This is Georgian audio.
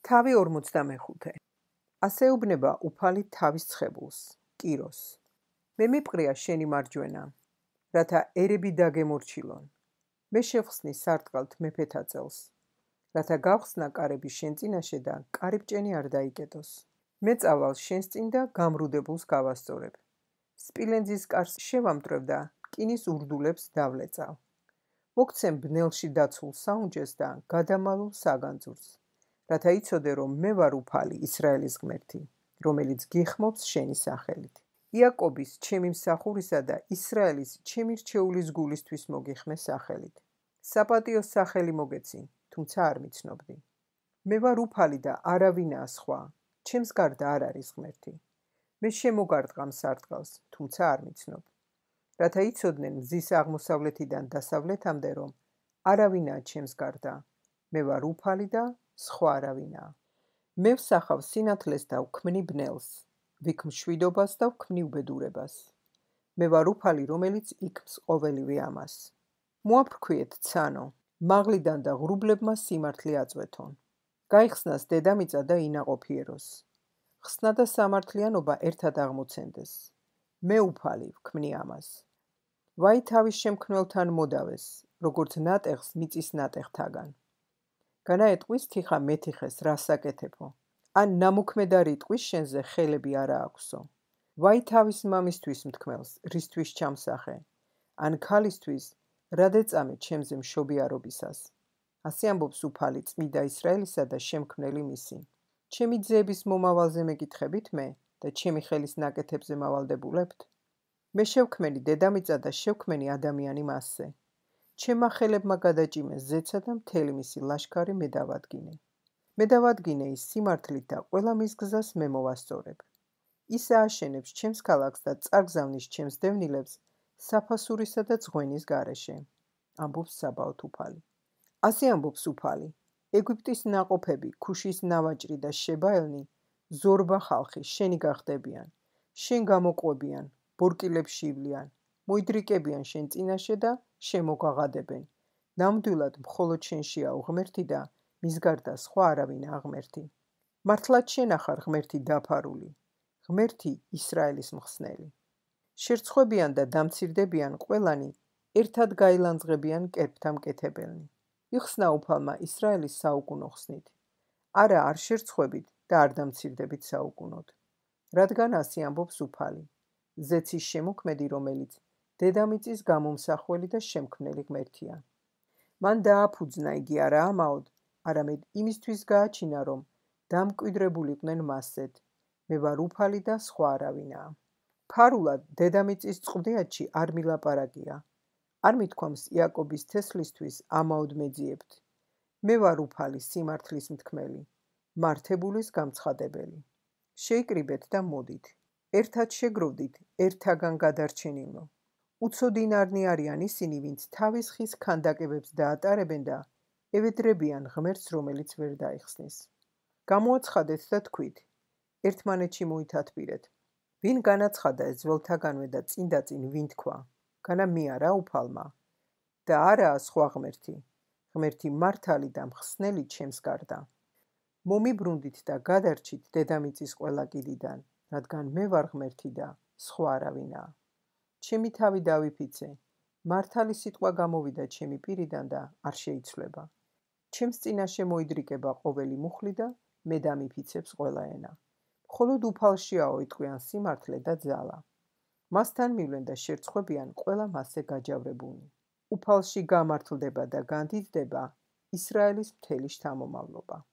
თავი 45. ასეუბნება უფალი თავის ცხებულს, კიროს. მე მიპყრია შენი მარჯვენა, რათა ერები დაგემორჩილონ. მე შევხსნი სარტყალთ მეფეთა წელს, რათა გავხსნა კარები შენ წინაშე და კარიბჭენი არ დაიკეტოს. მე წავალ შენს წინ და გამრუდებულს გავასწორებ. სპილენძის კარს შევამტვრევ და რკინის ურდულებს დავლეწავ. მოგცემ ბნელში დაცულ საუნჯეს და გადამალულ საგანძურს, რათა იცოდე, რომ მე ვარ უფალი, ისრაელის ღმერთი, რომელიც გიხმობს შენი სახელით. იაკობის ჩემი მსახურისა და ისრაელის ჩემი რჩეულის გულისთვის მოგიხმე სახელით. საპატიო სახელი მოგეცი, თუმცა არ მიცნობდი. მე ვარ უფალი და არავინაა სხვა, ჩემს გარდა არ არის ღმერთი. მე შემოგარტყამ სარტყელს, თუმცა არ მიცნობ. რათა იცოდნენ მზის აღმოსავლეთიდან დასავლეთამდე, რომ არავინაა ჩემს გარდა. მე ვარ უფალი და სხვა არავინაა. მე ვსახავ სინათლეს და ვქმნი ბნელს, ვიქ მშვიდობას და ვქმნი უბედურებას. მე ვარ უფალი, რომელიც იქმს ყოველივე ამას. მოაფრქვიეთ ცანო, მაღლიდან და ღრუბლებმა სიმართლე აწვეთონ. გაიხსნას დედამიწა და ინაყოფიეროს. ხსნა და სამართლიანობა ერთად აღმოცენდეს. მე უფალი ვქმნი ამას. ვაი თავის შემქმნელთან მოდავეს, როგორც ნატეხს მიწის ნატეხთაგან. განაეტყვის თიხა მეთიხეს რასაკეთებო, ან ნამოქმედარი ტყვის შენზე ხელები არა აქვსო. ვაი თავის მამისთვის მთქმელს, რისთვის ჩამსახე, ან ქალისთვის, რად ეწამე ჩემზე მშობიარობისას. ასე ამბობს უფალი წმიდა ისრაელისა და შემქმნელი მისი. ჩემი ძეების მომავალზე მეკითხებით მე და ჩემი ხელის ნაკეთებზე მავალდებულებთ? მე შევქმენი დედამიწა და შევქმენი ადამიანი მასზე. ჩემმა ხელებმა გადაჭიმეს ზეცა და მთელი მისი ლაშქარი მე დავადგინე. მე დავადგინე ის სიმართლით და ყველა მის გზას მე მოვასწორებ. ის ააშენებს ჩემს ქალაქს და წარგზავნის ჩემს დევნილებს საფასურისა და ძღვენის გარეშე. ამბობს საბაოთ უფალი. ასე ამბობს უფალი. ეგვიპტის ნაყოფები, ქუშის ნავაჭრი და შებაელნი, ზორბა ხალხი, შენი გახდებიან. შენ გამოყვებიან, ბორკილებში ივლიან, მოიდრიკებიან შენ წინაშე და შემოგაღადებენ. ნამდვილად მხოლოდ შენშია ღმერთი და მის გარდა სხვა არავინაა ღმერთი. მართლაც შენ ახარ ღმერთი დაფარული, ღმერთი ისრაელის მხსნელი. შერცხვებიან და დამცირდებიან ყველანი, ერთად გაილანძღებიან კერპთა მკეთებელნი. იხსნა უფალმა ისრაელის საუკუნო ხსნით. არა, არ შერცხვებით და არ დამცირდებით საუკუნოდ. რადგან ასე ამბობს უფალი, ზეცის შემოქმედი, რომელიც დედამიწის გამომსახველი და შემქმნელი ღმერთია. მან დააფუძნა იგი არა ამაოდ, არამედ იმისთვის გააჩინა, რომ დამკვიდრებულიყვნენ მასზედ. მე ვარ უფალი და სხვა არავინაა. ფარულად დედამიწის წყვლიანში არ მილაპარაკია. არ მithქვამს იაკობის თესლისთვის ამაოდ მეძიებთ. მე ვარ უფალი სიმართლის მთქმელი, მართებულის გამცხადებელი. შეიკრიბეთ და მოდით. ერთად შეგროვდით ერთაგან გადარჩენილო. უცოდინარნი არიან ისინი, ვინც თავის ხის ქანდაკებებს დაატარებენ და ევედრებიან ღმერთს, რომელიც ვერ დაიხსნის. გამოაცხადეთ და თქვით, ერთმანეთში მოითათბირეთ. ვინ განაცხადა ეს ძველთაგანვე და წინდაწინ ვინ თქვა? განა მე არა უფალმა და არაა სხვა ღმერთი, ღმერთი მართალი და მხსნელი ჩემს გარდა. მომიბრუნდით და გადარჩით დედამიწის ყველა კიდიდან, რადგან მე ვარ ღმერთი და სხვა არავინაა. ჩემი თავი დავიფიცე, მართალი სიტყვა გამოვიდა ჩემი პირიდან და არ შეიცვლება. ჩემს წინაშე მოიდრიკება ყოველი მუხლი და მე დამიფიცებს ყველა ენა. მხოლოდ უფალშიაო იტყვიან სიმართლე და ძალა. მასთან მივლენ და შერცხვებიან ყველა მასზე გაჯავრებულნი. უფალში გამართლდება და განდიდდება ისრაელის მთელი შთამომავლობა.